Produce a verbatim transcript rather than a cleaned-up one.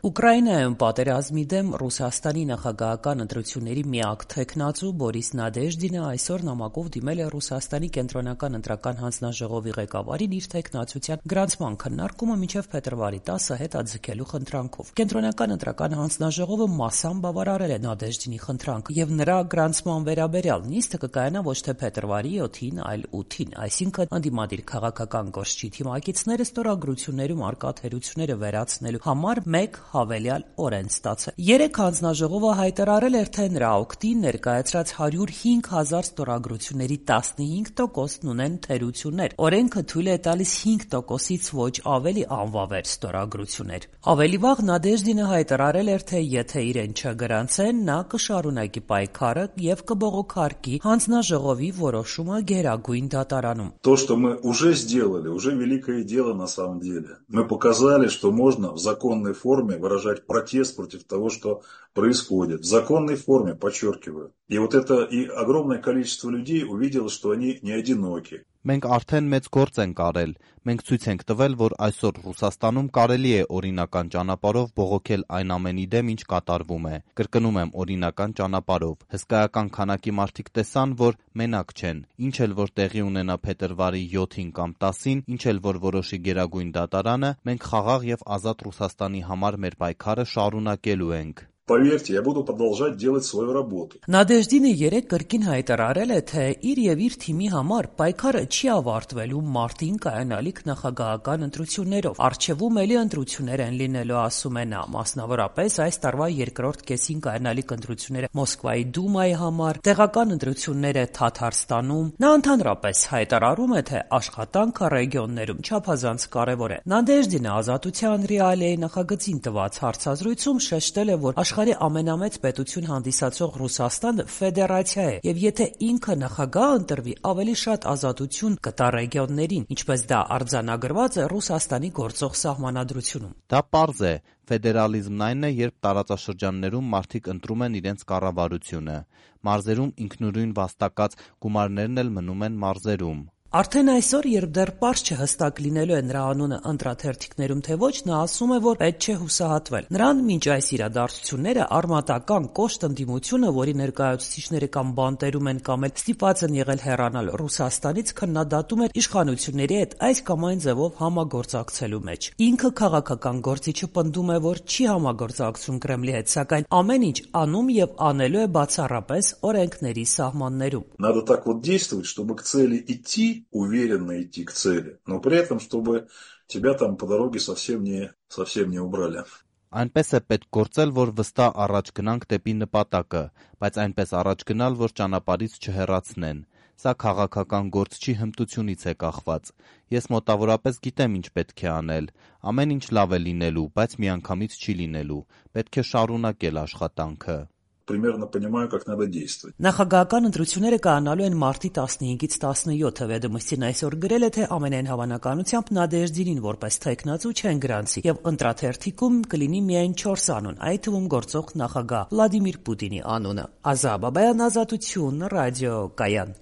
Ուկրաինայում պատերազմի դեմ Ռուսաստանի նախագահական ընտրությունների միակ թեկնածու Բորիս Նադեժդինը այսօր նամակով դիմել է Ռուսաստանի կենտրոնական ընտրական հանձնաժողովի ղեկավարին իր թեկնածության գրանցման քննարկումը մինչև փետրվարի տասը հետաձգելու խնդրանքով։ Կենտրոնական ընտրական հանձնաժողովը մասամբ բավարարել է Նադեժդինի խնդրանքը եւ նրա գրանցման վերաբերյալ նիստը կկայանա ոչ թե փետրվարի յոթին, այլ ութին, այսինքն ընդդիմադիր քաղաքական կոշչի թիմակիցները ստորագրություններում արկա թերությունները վերացնելու համար մեկ հավելյալ օր են ստացել։ Երեք հանձնաժողովը հայտարարել էր, թե նրա օգտին ներկայացրած հարյուր հինգ հազար ստորագրությունների տասնհինգ տոկոսն ունեն թերություններ։ Օրենքը թույլ է տալիս հինգ տոկոսից ոչ ավելի անվավեր ստորագրություններ։ Ավելի վաղ Նադեժդինը հայտարարել էր, թե եթե իրեն չգրանցեն, նա կշարունակի պայքարը եւ կբողոքարկի հանձնաժողովի որոշումը Գերագույն դատարանում։ То, что мы уже сделали, уже великое дело на самом деле. Мы показали, что можно в законной форме выражать протест против того, что происходит. В законной форме, подчеркиваю. И вот это и огромное количество людей увидело, что они не одиноки. Մենք արդեն մեծ գործ ենք արել։ Մենք ցույց ենք տվել, որ այսօր Ռուսաստանում կարելի է օրինական ճանապարհով բողոքել այն ամենի դեմ, ինչ կատարվում է։ Կրկնում եմ, օրինական ճանապարհով։ Հսկայական քանակի մարդիկ տեսան, որ մենակ չեն։ Ինչ էլ որ տեղի ունենա փետրվարի յոթին կամ տասին, ինչ էլ որ որոշի Գերագույն դատարանը, մենք խաղաղ եւ ազատ Ռուսաստանի համար մեր պայքարը շարունակելու ենք։ Поверьте, я буду продолжать делать свою работу. Նադեժդինը երեք կրկին հայտարարել է, թե իր եւ իր թիմի համար պայքարը չի ավարտվելու մարտին կայանալիք նախագահական ընտրություններով։ Առջևում էլի ընտրություններ են լինելու, ասում է նա, մասնավորապես այս տարվա երկրորդ կեսին կայանալիք ընտրությունները Մոսկվայի Դումայի համար, տեղական ընտրությունները Թաթարստանում։ Նա ընդհանրապես հայտարարում է, թե աշխատանքը ռեգիոններում չափազանց կարևոր է։ Նադեժդինը Ազատության ռեալիայի նախագծին տված հարցազրույցում շեշտել է, որ աշխարհի ամենամեծ պետություն հանդիսացող Ռուսաստանը ֆեդերացիա է, եւ եթե ինքը նախագահ ընտրվի, ավելի շատ ազատություն կտա ռեգիոններին, ինչպես դա արձանագրված է Ռուսաստանի գործող սահմանադրությունում։ Դա պարզ է, ֆեդերալիզմն այն է, երբ տարածաշրջաններում մարդիկ ընտրում են իրենց կառավարությունը։ Մարզերում ինքնուրույն վաստակած գումարներն էլ մնում են մարզերում։ Արդեն այսօր, երբ դեռ պարզ չհստակ լինելու է նրա անունը ընտրաթերթիկներում թե ոչ, նա ասում է, որ պետք չէ հուսահատվել։ Նրան մինչ այս իրադարձությունները արմատական կոշտ ընդդիմությունը, որի ներկայացուցիչները կամ բանտերում են կամ էլ ստիպված են եղել հեռանալ Ռուսաստանից, քննադատում էր իշխանությունների հետ այս կամ այն ձևով համագործակցելու մեջ։ Ինքը քաղաքական գործիչը պնդում է, որ չի համագործակցում Կրեմլի հետ, սակայն ամեն ինչ անում եւ անելու է բացառապես օրենքների սահմաններում։ Надо так вот действовать, чтобы к цели идти, уверенно идти к цели, но при этом, чтобы тебя там по дороге совсем не, совсем не убрали. Այնպես է պետք գործել, որ վստահ առաջ գնանք դեպի նպատակը, բայց այնպես առաջ գնալ, որ ճանապարհից չհեռացնեն։ Սա քաղաքական գործ չի, հմտությունից է կախված։ Ես մոտավորապես գիտեմ ինչ պետք է անել։ Ամեն ինչ լավ է լինելու, բայց միանգամից չի լինելու։ Պետք է շարունակել աշխատանքը։ Примерно понимаю, как надо действовать. Նախագահական ընտրությունները կայանալու են մարտի տասնհինգից տասնյոթը։ Վեդոմստին այսօր գրել է, թե ամենայն հավանականությամբ Նադեժդինին որպես թեկնածու չեն գրանցի եւ ընտրաթերթիկում կլինի միայն չորս անուն, այդ թվում գործող նախագահ Վլադիմիր Պուտինի անունը։ Ազա Բաբայան, Ազատություն, ռադիո Կայան։